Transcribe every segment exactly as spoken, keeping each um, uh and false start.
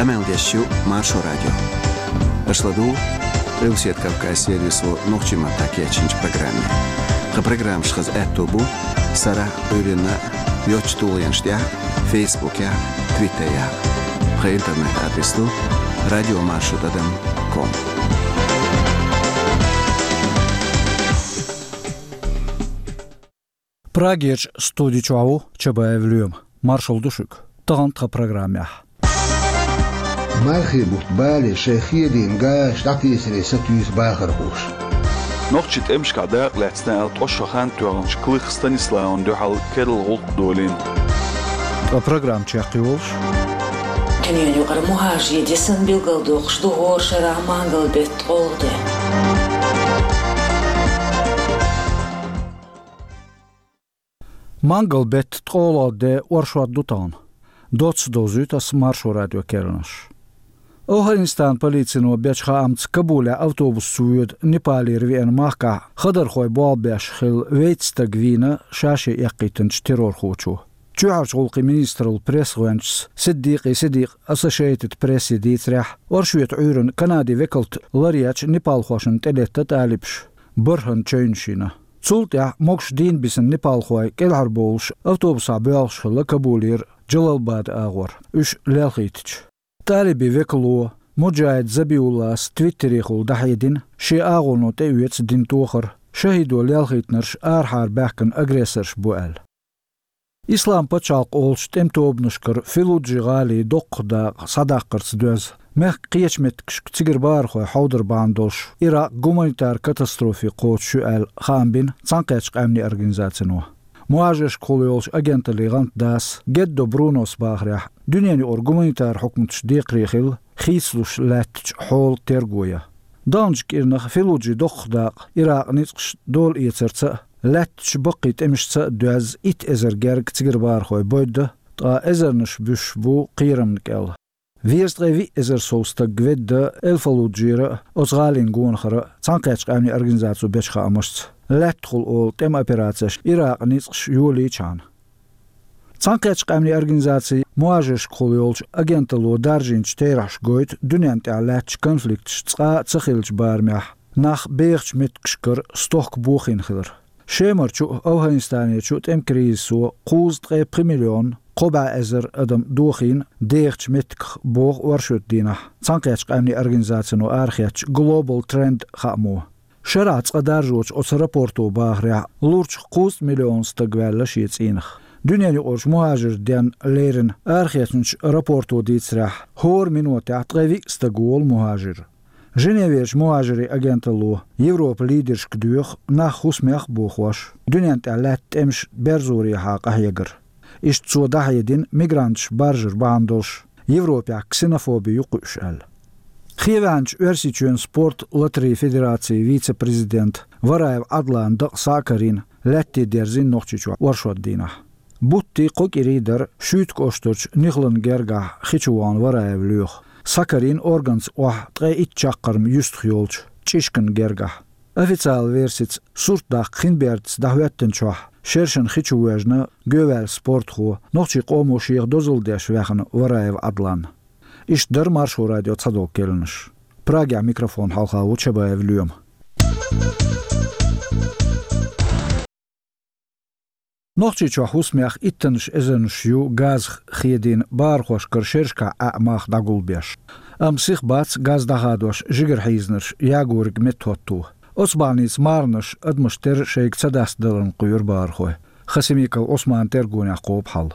Къамел деш ю Маршо радио. Аша ладугӀу Къилбаседа Кавказан сервисо нохчийн маттахь кечйинчу программе. Тхан программаш хаза аьтто бу сарахь а, Ӏуьйранна а йоцачу тулгӀенаш тӀехь а, Фейсбукехь а, Твиттерехь а. Тхан интернет-адрес ду радио маршо тӀадам ком. Прагерчу студи чохь ву Чабаев Лоьма. Маршалла ду шуьга. Тахана тхан программехь: Мархий бутт бале шайн хедийна газаш дӀатесаре сатуьйсу бахархоша. Нохчийн тӀемашкахь дакъа лаьцна аьлла, ткъа шо хан тоьхначу Клых Станиславна дуьхьал керла гӀуллакх долийна. Ткъа программа чекхйолуш: Дуьненаюкъара мухӀажарийн де санна билгалдоккхуш ду хӀора шарахь мангал-беттан ткъолгӀа де. Мангал-беттан ткъолгӀа де оршот ду тахана. Доцца довзуьйту ас Маршо радион керланаш. АфгӀанистанан полицино бечу хаамца, Кабулехь автобусца воьду Непалера веана махкахь хадархой болх беш хилла вейтта стаг вийна ша-шен эккхийтинчу террорхочо. Чоьхьарчу гӀуллакхийн министраллан пресс-гӀоьнчас Сиддикъи Сидикъа Associated Press-е дийцарехь, оршотан Ӏуьйранна Канадин векалт ларъечу непалхошна тӀелетта талибаша бархӀанна чевнаш йина. Цул тӀаьхьа могуш дийна бисина непалхой кӀелхьарбовлуш автобусехь боьлхуш хилла Кабулера Джалалабад агӀор, уьш лелхийтича. Талибийн векало Муджахид Забиуллас Твиттерехула дӀахьедина, шен агӀоно тӀеоьцу дина тохар, шахӀидо лелхийтинарш арахьара баьхкина агрессорш бу аьлла. Ислам пачхьалкх олучу тӀеман тобанашкара Фаллуджа гӀалин доккхах дакъа схьадаккхарца доьзна, мехкан кхечу меттигашка цигара бахархой хьовдар бахьана долуш, Иракъ гуманитар катастрофе кхочуш ю аьлла, хаам бина Цхьаьнакхеттачу Къаьмнийн Организацино. МухӀажаршкахула йолчу агенталлин гӀантдас Геддо Брунос бахарехь, дуьненаюкъара гуманитар хьукматаш декхаре хилла хийцалуш лаьттачу хьолан терго ян. Даханчу кӀирнах Фаллуджин доккхах дакъа Иракъан ницкъаша дола эцарца а, лаьттачу баккхий тӀемашца а доьзна итт эзар гергга цигара бахархой бойдда, ткъа эзарнаш буьсуш бу кхерамна кӀел. Везткъе виъ эзар сов стаг ведда Эл-Фаллуджера а, оцу гӀалин гонахара а, Цхьаьнакхеттачу Къаьмнийн Организацо бечу хаамашца, лаьттахула олу тӀеман операцеш Иракъан ницкъаша йолийчхьана. Цхьаьнакхеттачу Къаьмнийн Организацин мухӀажаршкахула йолчу агенталло даржийначу терахьаша гойту дуьненна тӀехь лаьттачу конфликташ цкъа а ца хиллачу барамехь нах бехачу меттигашкара стохка бохийна хилар. Шемарчу а, АфгӀанистанерчу а тӀеман кризисо кхузткъе пхи миллион кхо бӀе эзар адам дохийна дехачу меттигах, боху оршотан дийнахь Цхьаьнакхеттачу Къаьмнийн Организацино арахецначу Global Trend хаамо. Шарахь цкъа даржочу оцу рапорто бахарехь, лурчух кхузткъа миллион стаг ваьлла шен цӀийнах. Дуьненаюкъарчу мухӀажарийн денна леррина арахецначу рапорто дийцарехь, хӀора минотехь ткъе виъ стаг волу мухӀажар. Женеверчу мухӀажарийн агенталло Европан лидершка доьху нах хӀусамех а бохош, дуьненна тӀехь лаьтта тӀемаш берзорехьа къахьегар. Иштта цо дӀахьедина мигранташ баржар бахьана долуш, Европехь ксенофоби ю кхуьуш аьлла. Кхеваьнначу Оьрсийчоьнан спорт латарийн федерацин вице-президент Вараев Ӏадлан дакъа схьа а карийна, лаьтте дерзийна Нохчийчохь оршотан дийнахь. Буттий, кхо кӀирий дара Шуьйтан кӀоштарчу Нихлан гергахь хи чу вахана Вараев Лоьха. Схьакарийна органца охьа ткъе итт чаккхарма юьстах йолчу Чишкан гергахь. Официалан версица, сурт даккха хин бердаца дӀахӀоьттинчохь, шершина хи чу воьжна, гоьваьлла спортхо, нохчийн къомо шех дозалла деш ваьхна Вараев Ӏадлан. Иштта дара Маршо радион цхьадолу керланаш. Прагехь микрофон хьалха ву Чабаев Лоьма. Нохчийчохь хӀусамех иттаннаш эзарнаш ю газах хедийна бахархошкара шерашкахь Ӏаьа мах дӀагулбеш. Амма сиха бац газ дӀахадош жигара хьийзинарш ягориг меттахӀотто. Оцу бахьаница марханаш адамаш тера шайга ца дастадаларна кхоьру бахархой. Хасимиков Ӏусманан тергонехь кхобу хьал.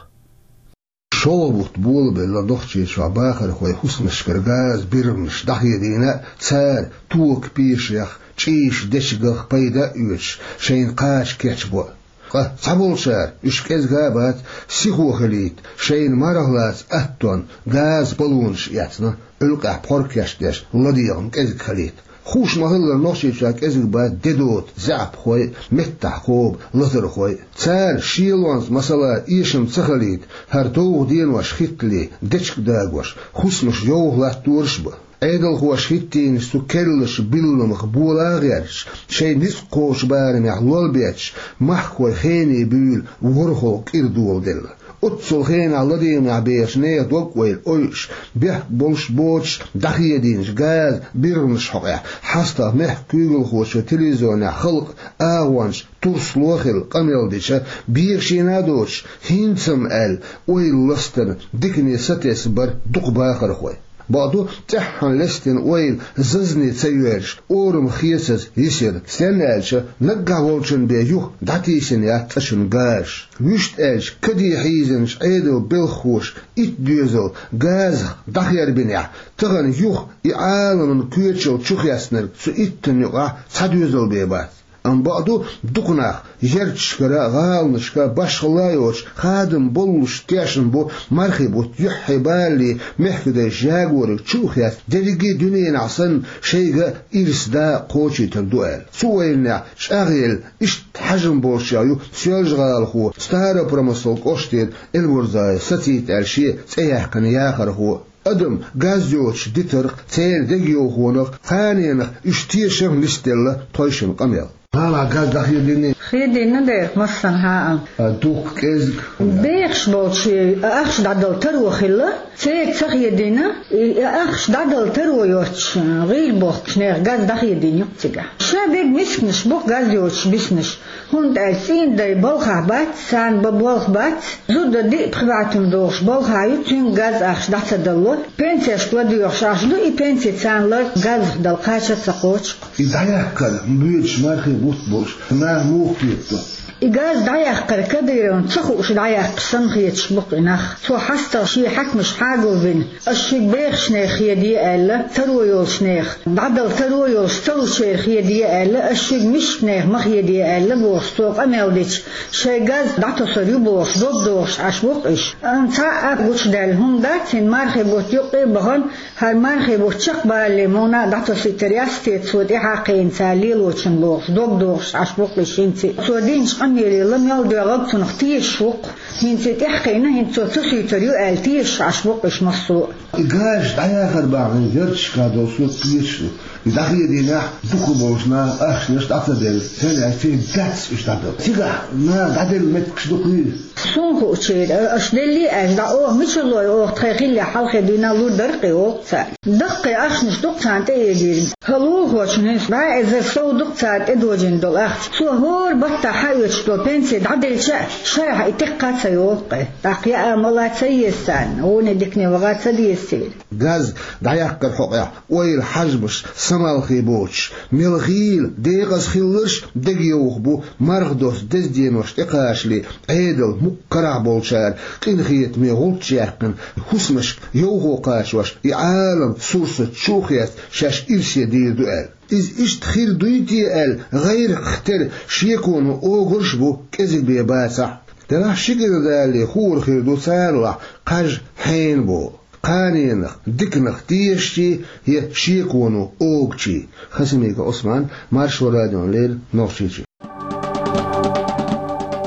ШолгӀа бутт болабелла Нохчийчохь бахархойн хӀусамашкара газан биргӀанаш дӀахедийна, цара тока пешех, чӀийш дечигах пайда а оьцуш, шайна кхача кечбо. Ткъа цхьаболчара, уьш кӀезга а бац, сихо хилийта, шайна марха лаца аттонна газан баллонаш эцна, Ӏуьлкъехь пхьор кечдеш, ладегӀам кӀезиг хилийта. Хууш ма-хиллара, Нохчийчохь кӀезиг бац де доцу заьӀапхой а, меттахь кхобу лазархой а. Цара шелонца, масала, эшам ца хилийта, хӀара довха денош хӀиттале, дечиг дагош, хӀусамаш йовха латтораш а бу. Ӏедалхоша хӀиттийначу цу керланашан билламах бола а гӀерташ, шайн ницкъ кхочу барамехь лол бетташ, махкахой хене буьйлу ворхӀалгӀа кӀира доладелла. Оццул хенахь ладийгӀанехь бехачу нехан дог-ойла ойуш, бехк болуш боцуш дӀахедийначу газан биргӀанаш хьокъехь, хьастагӀа мехкан куьйгалхочо телевизионехь халкъан агӀончаша турсло а хилла къамел дича, бехашийна а доцуш, хӀинца-м аьлла, ойла ластарна дикане сатесна бара дукха бахархой. Бакъду, тӀаьххьана лестина ойла зазане ца йоьрзуш, орам хецаза йисира, стенна аьлча, наггахь волчун бен юха дӀатийсина яц цӀа чуьра газаш. Вуьшта аьлча, каде хьийзинчу Ӏедалан белхахоша итт доьзал газах дӀахербинехь, тахана юха и Ӏаламан коьчал чухецнарг цу иттанна юкъахь цхьа доьзал бен бац. Амма бакъду, дукха нах ярташкара, гӀаланашка, башхалла йоцуш хадам боллуш тешна бу мархи бутт юьххье балале мехкадай жагориг чу а хецна, дерриге а дуьненахь санна шайга ирс да кхочуьйтур ду аьлла. Цу ойланехь чӀагӀъелла, иштта хьажам болчех ю Соьлжа-ГӀалахо Старопромыслан кӀоштера Эльбурзаев Сацит аьлла шен цӀе яьккхина яхархо. Адам газ йоцуш дитарх, церан дегайовхонах, кханенах уьш тешам нисделла тхойшинна къамел. ГӀалахь газ дӀахедийний? Хедийна дера, массанхьа а. А дуккха, кӀезиг? Бехаш болчу ахча дӀадала таро хилла, церан ца хедийна, и ахча дӀадала таро йоцуш, гӀийла бохкучу нехан газ дӀахедийна ю-кх цигахь. Ша берриг мисканаш бу-кх газ йоцуш биснарш. ХӀунда аьлча цӀийнан дай балхахь бац, царна бан болх бац, зуда диъ-пхи бӀе туьма догӀуш балхахь ю, цуьнга газ ахча дӀа ца далло, пенсешка ладоьгӀуш ахча ду, и пенси царна лар газах дала кхача а ца кхочу-кх. И дӀаяккхар боьдуш мархи бутт болуш нах муха кхетадо? И газ дӀаяккхар Кадыровна ца хууш дӀаяккхаш санна хеташ бу-кх и нах. Цо хьастагӀа шен хьаькамаш хьагулбина, ас шуьга бехачу нехан хеде аьлла, таро йолчу нехан, дӀадала таро йолуш ца лучеран хеде аьлла, ас шуьга мискачу нехан ма хеде аьлла бохуш, цо къамел дича, шайн газ дӀатосур ю бохуш, дог дохуш Ӏаш бу-кх уьш. Амма цхьа а гучудаьлла хӀума дац, хӀинца мархи бутт юккъе а бахана, хӀара мархи бутт чекхбалале муна а дӀатосуьйтур яц те цо тӀаьхьа кхиъна цара лелочун бохуш, дог дохуш Ӏаш бу-кх уьш хӀинца а. Цо динчу къамеле ла мел доьгӀург цунах тешаш ву-кх. ХӀинца и тӀаьхьакхиъна, хӀинца цо ца суьйтур ю аьлла, тешаш Ӏаш бу-кх уьш массо а. И газаш дӀаяхар бахьана, ярташкахь долу сурт кхеташ ду. И дӀахедийнехь, дукха болчу наха ахчанаш дӀа ца делла, стенна аьлча, дац уьш дӀадала. Цигахь наха дӀаделла меттигаш дукха юй? Суна хуучуьра, аша деллий аьлча дӀа, оха мичара лой, оха тхайн хиллехь хьалхе дуьйна лур дара-кх и, олу-кх цара. Даккхий ахчанаш ду-кх царна тӀеэгийриг. ХӀара лулахочун хӀинца бӀе эзар сов ду-кх цара тӀедожийна долу ахча. Цо хӀора баттахь хьаоьцуш долу пенси дӀаделча а, шарахь и текха а ца йолу-кх и. ТӀаккха яа-мала ца еза царна, гӀоне дикане ваха ца деза церан. Газ дӀаяккхар хьокъехь ойла, хьажамаш самалхе боцуш, мел хийла, декъаза хилларш дегайовха бу, марха доцу деза денош тӀекхачале, Ӏедал мукъа карахь болчара къинхетаме гӀулч яьккхина, хӀусамашка йовхо кхачош, и Ӏалам сурсатта чу а хецна, шаьш ирсе дийр ду аьлла. Иза иштта хир дуй те аьлла, гӀайракх тера шеконо огурш а бу, кӀезиг бен бацахь а. Делахь ши гина далале хуур хир ду царалахь кхаж хьенан болу, кханенах, диканах тешачий я шеконо огучий. Хасимиков Ӏусман, Маршо радиона леррина, Нохчийчоь.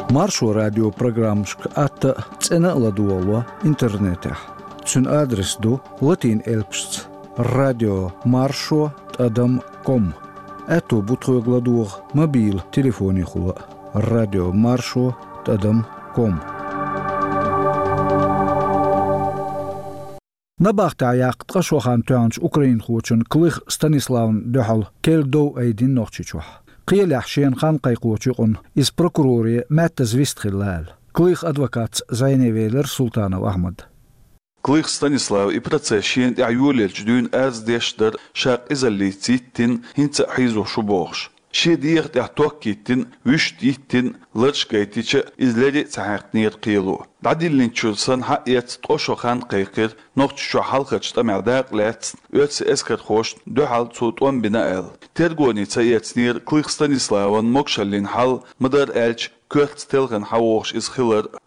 Маршо радион программашка атта а, цӀена а ладогӀало интернетехь. Цуьнан адрес ду латин элпашца: радио маршо тӀадам ком. Аьтто бу тхоьга ладогӀа мобилан телефонехула а: радио маршо тӀадам ком. Набахтехь яккха ткъа шо хан тоьхначу украинхочун Клых Станиславан дуьхьал керла дов айдина Нохчийчохь. Кхелехь шена хан кхайкхочу юкъана иза прокуроре маьттаза вистхилла аьлла. Клых адвокатца зӀене велира Султанов Ахьмад. Клых Станислава и процесс шена тӀехь йолаелча дуьйна арз деш дара, ша къизаллица йиттина, хӀинца а хьийзош ву бохуш. Шен дегӀа тӀехь ток йиттина, вуьшта йиттина, ларш гайтича а, иза леррина а ца хьаькхнера кхело. ДӀадиллинчуьра санна хьаэцна ткъа шо хан кхайкхира, Нохчийчохь хьалхарчу тӀамехь дакъа лаьцна, оьрсийн эскархошна дуьхьал цо тӀом бина аьлла. Тергоне ца эцнера Клых Станиславан могушаллин хьал, ма-дарра аьлча, коьртаца телхина хьавогӀуш иза хилар а.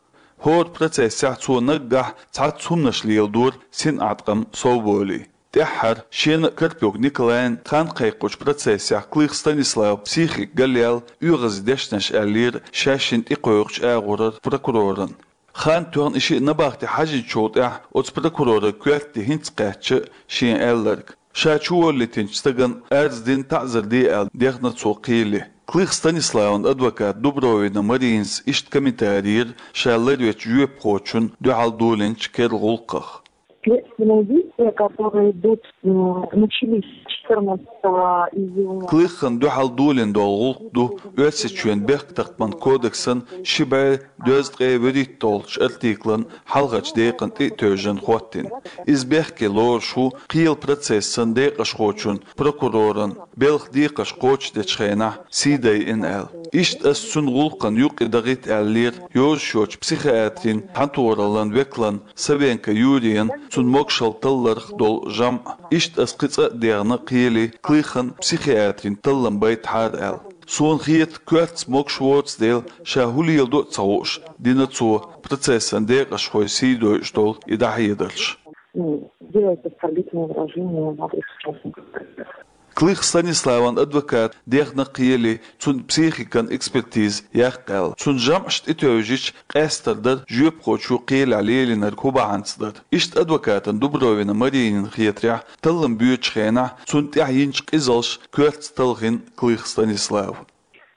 ХӀора процессехь цо наггахь цхьацца хӀуманаш леладора, синӀаткъам совболий. ТӀаьххьара шена а, Карпюк Николайна а хан кхайкхочу процессехь Клых Станислава психика галъяьлла, оьгӀазе дешнаш аьллера шаьшшинна тӀекхойкхучу агӀорара прокурорна. Хан тоьхна и шиъ набахте хьаьжначул тӀаьхьа оцу прокуроран коьрте хӀинца кхаьчча а шена аьлларг. Ша чуволлийтинчу стагана арз дина таӀзар де аьлла дехна цо кхеле. Клых Станиславан адвокат Дубровина Маринас иштта комментари йира ша ларвечу жоьпахочун дуьхьал долийначу керла гӀуллакхах. Следственные действия, которые идут, м, начались четырнадцатого июня. Клыхан дуьхьал долийна долу гӀуллакх ду Оьрсийчоьнан бехктакхаман кодексан ши бӀе дезткъе вуьрхӀитталгӀачу артиклан хьалхарчу декъана тӀе а тевжина хӀоттийна. Иза бехке лоруш ву кхелан процессан декъашхочун, прокуроран, белхан декхарш кхочушдечу хенахь сий дайина аьлла. Иштта аса цуьнан гӀуллакхана юкъа дахийта аьллера йозуш йоцчу психиатрийн цхьаьнатохараллин векалан Савенко Юрийна цуьнан могушалла талларх долу жамӀ. Иштта аса кхин цкъа а дехна кхеле Клыхан психиатрийн таллам байтахьара аьлла. Суна хета, коьртаца могуш воцу дела, ша хӀун леладо а ца хууш, дина цо, процессан декъашхой сий дойуш долу и дӀахьедарш. Ну, делать оскорбительные выражения в адрес участников процесса. Клых Станиславан адвокат дехна кхеле, цуьнан психикан экспертиза яккха аьлла. Цуьнан жамӀаш тӀетевжича, къаьстар дара жоьпахочо кхелехь лелийнарг хӀун бахьанца дара. Иштта адвокатна Дубровина Маринина хетарехь, таллам боьдучу хенахь цунна тӀехь йинчу къизалша коьртаца талхийна Клых Станислав.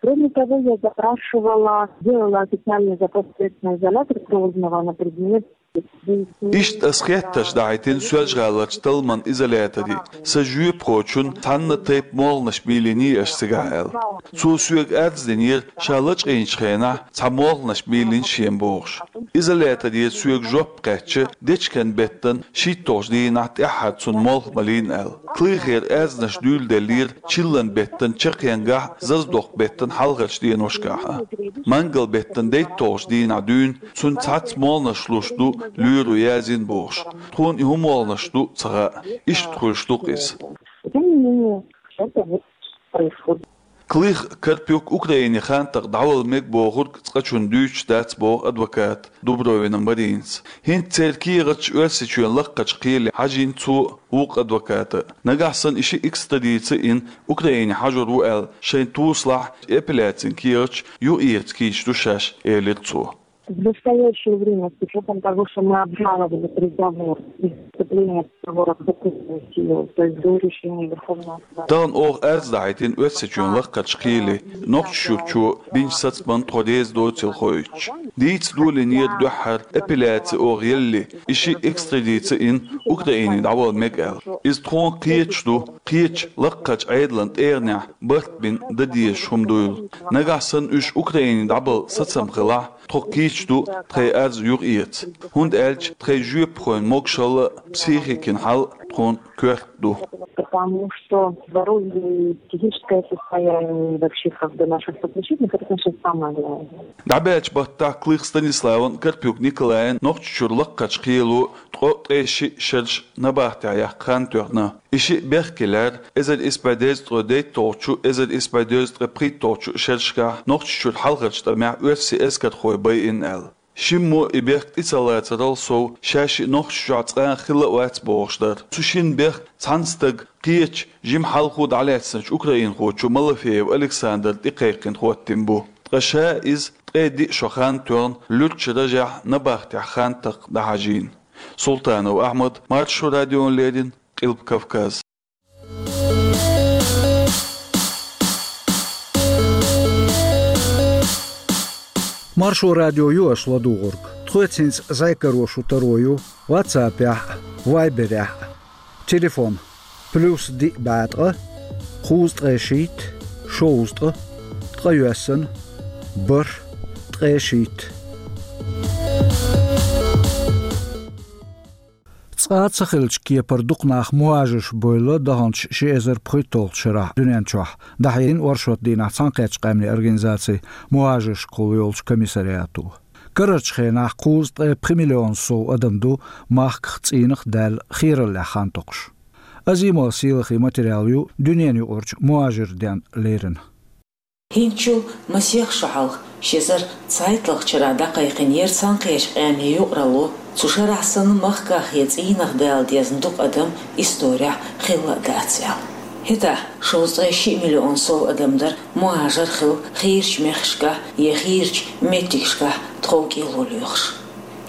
Кроме того, я запрашивала, делала официальный запрос в следственный изолятор Грозного на предмет. Иштта аса хеттарш дахьийтина Соьлжа-ГӀаларчу талламан изоляторе, сан жоьпахочунна цхьана а тайпа молханаш мийлиний аша цигахь аьлла. Цо соьга арз динера, ша лачкъийначу хенахь цхьа молханаш мийлина шена бохуш. Изоляторера соьга жоп кхаьчча, дечкен беттан шийтталгӀачу дийнахь тӀаьххьара цунна молха малийна аьлла. Клыхера арзнаш дуьйладеллера чиллан беттан чаккхенгахь, заздокху беттан хьалхарчу деношкахь а. Мангал беттан дейтталгӀачу дийнахь дуьйна цунна цхьацца молханаш луш ду лоьро яздина бохуш. Тхуна и хӀун молханаш ду ца хаьа. Иштта хуьлуш ду-кх иза. Тем не менее, это вот происходит. Клых Карпюк Украине хантах дӀавала мега бохург цкъачунна дуьйцуш дац боху адвоката Дубровина Маринас. ХӀинца церан кехаташ Оьрсийчоьнан лакхарчу кхеле хьажийна цо а, вукху адвоката а. Нагахь санна и шиъ экстрадици йина Украине хьажор ву аьлла, шайн тусалахь апелляцин кехаташ юкъаэца кийча ду шаьш, элира цо. В настоящее время, с учётом того, что мы обжаловали приговор и вступление приговора в законную силу, то есть до решения Верховного суда. Тахана оха арз дахьийтина Оьрсийчоьнан лакхарчу кхеле, Нохчийчуьрчо бинчу сацамна тхо реза доцийла хоуьйтуш. Дийца долийнера дуьххьара апелляци оха елли, и шиъ экстрадици йина Украине дӀавала мега аьлла. Иза тхуна кхеташ ду, кхечу лакхарчу Ӏедалан тӀегӀанехь барт бина дан дезаш хӀума дуйла. Нагахь санна уьш Украине дӀабала сацам хилахь, тхо кийча ду тхайн арз юкъаэца, хӀунда аьлча тхайн жоьпахойн могушалла а, психикин хьал а тхуна коьрта ду. Потому что здоровье и психическое состояние, и вообще как бы наших соотечественников, это, конечно, самое главное. ДӀабаьллачу баттахь Клых Станиславан, Карпюк Николайн Нохчийчуьра лакхарчу кхело ткъо ткъе шиъ шераш набахтехь яккха хан тоьхна. И шиъ бехке лаьрра эзар исс бӀе дезткъе дейтталгӀачу, эзар исс бӀе дезткъе пхийтталгӀачу шерашкахь Нохчийчуьра хьалхарчу тӀамехь оьрсийн эскархой байина аьлла. Шиммо и бехк тӀе ца лацарал сов, шаьшшиъ Нохчийчохь цкъа а хилла а вац бохуш дара. Цу шина бехк цхьана стага кхечу, жима хьалхо дӀалаьцначу украинхочо Малофеев Александра тӀекхайкхина хӀоттийна бу. Ткъа ша иза ткъе диъ шо хан тоьхна луьрачу ражехь набахтехь хан такха дӀахьажийна. Султанов Ахьмад, Маршо радиона леррина, Къилба Кавказ. Маршо радио ю аша ладугӀург. Тхоьца хӀинца зӀе каро шу таро ю WhatsApp-ехь а, Viber-ехь а. Телефон: плюс диъ бӀе ткъа, кхузткъе шийтта, шовзткъа, ткъайоьсна, бархӀ, ткъе шийтта. Цкъа а ца хиллачу кепара дукха нах мухӀажарш бевлла даханчу ши эзар пхийтталгӀачу шарахь дуьнен чохь, дӀахьедина оршот дийнахь Цхьаьнакхеттачу къаьмнийн организацин мухӀажаршкахула йолчу комиссариато. Карарчу хенахь кхузткъе пхи миллион сов адам ду махках, цӀийнах даьлла, хийраллехь хан токхуш. Азимова Сийлахин материал ю дуьненаюкъарчу мухӀажиран денна лерина. ХӀинцачул масех шо хьалха, ши эзар цхьайтталгӀачу шарахь дӀакхайкхинера Цхьаьнакхеттачу къаьмнийн юкъаралло, цу шарахь санна махках я цӀийнах дала дезна дукха адам исторехь хилла а дац аьлла. ХӀетахь шовзткъе шиъ миллион сов адам дара мухӀажар хилла хийрачу мехкашкахь я хийрачу меттигашкахь тхов-кӀело лоьхуш.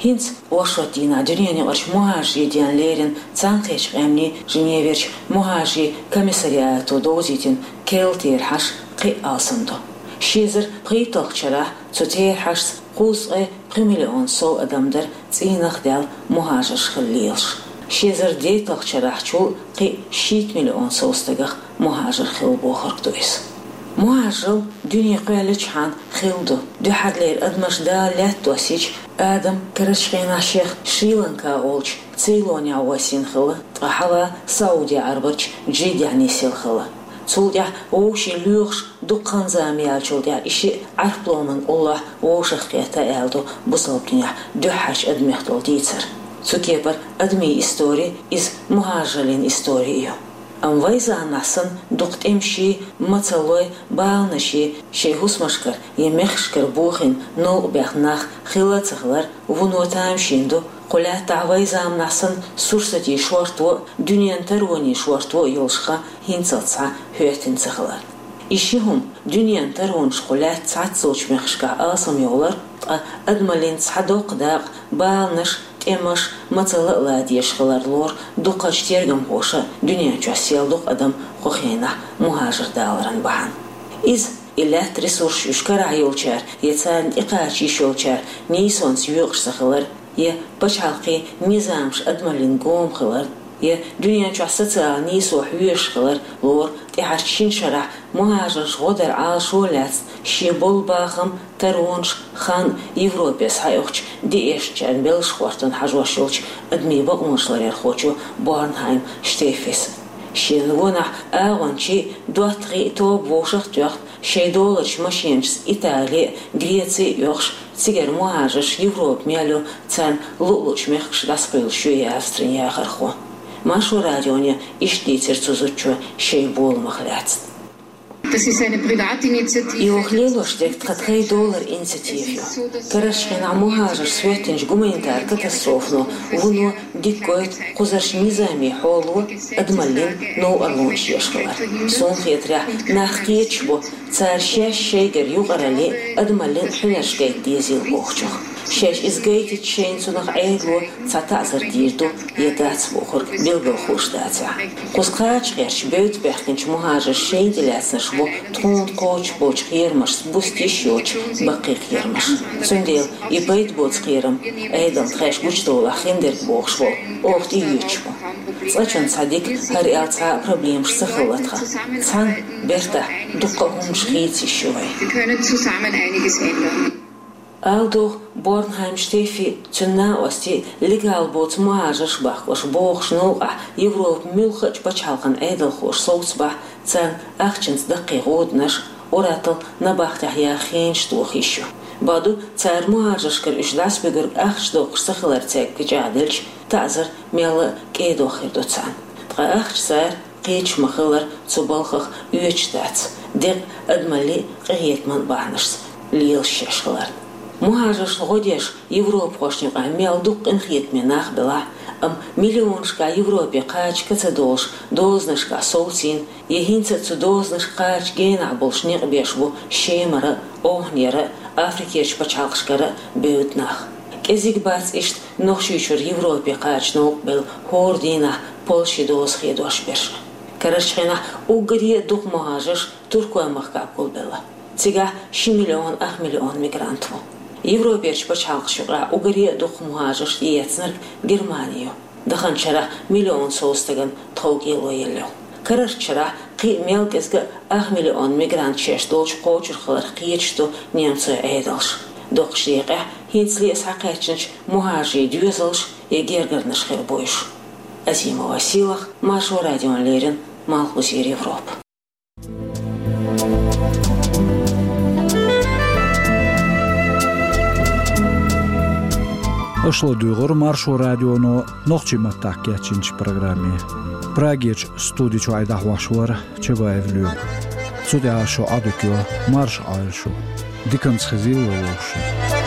ХӀинца оршот дийнахь дуьненаюкъарчу мухӀажирийн денна лерина Цхьаьнакхеттачу къаьмнийн Женеверчу мухӀажирийн комиссариато довзийтина керла терахьаш кхин а алсам ду. Ши эзар пхийтталгӀачу шарахь цу терахьашца кхузткъе пхи миллион сов адам дара цӀийнах даьлла мухӀажарш хила лелаш. Ши эзар дейтталгӀачу шарахьчул кхин шийтта миллион сов стагах мухӀажар хилла бохург ду иза. МухӀажарал дуьне кхоьллинчхьана хилла ду. Дуьххьарлера адамаш Дала лаьтта доссийча, Адам карарчу хенахь шех Шри-Ланка олучу Цейлонехь воссийна хилла, ткъа хьалха Сауди-Ӏарбарчу Джиддехь нисъелла хилла. Цул тӀаьхьа вовшийн лоьхуш дукха хан зама яьллачул тӀаьхьа и шиъ Ӏарфломан уллохь вовшахкхетта аьлла ду бусалба динехь дуьххьарчу адамех долу дийцар. Цу кепара адамийн истори иза мухӀажараллин истори ю. Амма вайн заманахь санна дукха тӀемаший, мацаллой, баланаший шайн хӀусамашкара я мехкашкара бохийна новкъа баьхна нах хилла а ца хилар вуно тамашийна ду, кху лаьттахь вайн заманахь санна сурсатийн шорто а, дуьненан таронийн шорто а йолуш хан хӀинцалц схьа хӀоьттина ца хилар. И ши хӀума, дуьненан таронаш кху лаьтта цхьаццалучу мехкашкахь алсамйовлар, ткъа адамаллин цхьа доккха дакъа, баланаш, тӀемаш, мацалла а ладоьгӀуш хилар лору дукхачу тергамхоша а, дуьнен чохь сел дукха адам кху хенахь мухӀажар даларан бахьана. Иза, и лаьттан ресурсаш уьш карахь йолчара я царна тӀекхача йиш йолчара нийсонца йоькъуш ца хилар, я пачхьалкхийн низамаш адамаллин гома хилар, я дуьнен чохь социалан нийсо хьоьжуш хилар лору тӀаьхьарчу шина шарахь мухӀажарш гӀо дар Ӏалашо а лаьцна, шен болу бахам, таронаш, хан Европе схьаоьхучу диэшначарна беллаш хӀоттон хьажош йолчу адамийн бакъонаш ларъярхочо Борнхайм Штефис. Шена гонахь агӀончий, доттагӀий тоба вовшах а тоьхна, шайн доларчу машенашца Итали а, Греци а оьхуш, цигара мухӀажарш Европа мел ю, царна луъ-луъчу мехкашка дӀасакхуьйлуш ю и Австрин яхархо. Маршо радионе иштта дийцира цу зудчо шайн боламах лаьцна. Das ist eine Privatinitiative. И оха лелош дерг тхан тхайн долара инициатива ю. Карарчу хенахь мухӀажарш хӀоьттинчу гуманитар катастрофано вуно дика гойту кхузарчу низамийн хьоло, адамаллин новкъарлонаш еш хилар. Суна хетарехь, нах кхеташ бу, цара шаьш шайгара юкъараллин, адамаллин хьуьнарш гайта дезийла бохучух. Шаьш иза гайтича, шайна цунах Ӏедало цхьа таӀзар дийр ду я дац бохург билгалхуш дацахь. Кхуза кхача гӀерташ бевдда баьхкинчу мухӀажарш шайна тӀелаьцнарш бу тхуна кхочуш болчу кхерамашца буста йиш йоцуш баккхий кхерамаш. Цундела и пайда боцу кхерам, Ӏедална тхаьш гучудовлахь хиндерг бохуш волу, оха тӀеоьцуш бу. Цкъачунна цхьа дика, хӀара аьлла цхьа а проблемаш ца хилла тхан. Цхьаьна бертахь дуккха а хӀуманаш хийца йиш ю вайн. Wir können zusammen einiges ändern. Ала догӀу, Борнхайм Штефи, цуьнан накъостий легал боцу мухӀажарш бахкалуш богӀучу новкъахь Европан муьлххачу пачхьалкхан Ӏедалхоша совцабахь, царна ахчанца даккхий гӀоданаш, ур-атталла набахтехь яха хенаш тоха йиш ю. Бакъду, цара мухӀажаршкара уьш дӀасабуьгург ахча доккхуш ца хилар цаьрга кечӀагӀделча, таӀзар мелла а кӀедох хир ду царна. Ткъа ахча цара кхеташ ма-хиллара, цу балхах оьцуш дац, декъа адамаллин а, къинхетаман а бахьанашца лелаш шаьш хиларна. МухӀажаршна гӀо деш, европахошна юкъахь мел дукха къинхетаме нах белахь а, амма миллионашкахь Европе кхача ка ца долуш, дозанашкахь совцийна, я хӀинца а цу дозанашка кхача генахь болуш некъ беш бу Шемара а, Ӏовханера а, Африкерчу пачхьалкхашкара а бевдда нах. КӀезиг бац иштта Нохчийчуьра Европе кхача новкъа белла хӀора дийнахь Польшин доза хедош берш. Карарчу хенахь уггаре а дукха мухӀажарш Туркойн махкахь гулбелла. Цигахь ши миллион ах миллион мигрант ву. Европерчу пачхьалкхашна юкъахь уггаре а дукха мухӀажарш тӀеэцнарг Германи ю. Даханчу шарахь миллион сов стагана тхов кӀело елла ю. Карарчу шарахь кхин а мел кӀезиг а ах миллион мигрант шаьш долчу кхочур хиларх кхеташ ду немцойн Ӏедалш. Доккхачу декъехь хӀинцале а схьакхаьчначу мухӀажарийн доьзалш я гергарнаш хир бу уьш. Азимова Сийлаха, Маршо радиона леррина, Малхбузера Европа. Аша ладуьйгӀура Маршо радионо нохчийн маттахь кечйинчу программе. Прагерчу студи чуьра дӀахьош вара Чабаев Лоьма. Цу тӀехь шун Ӏадика йо, марша Ӏойла шу. Диканца хезийла вовшашна.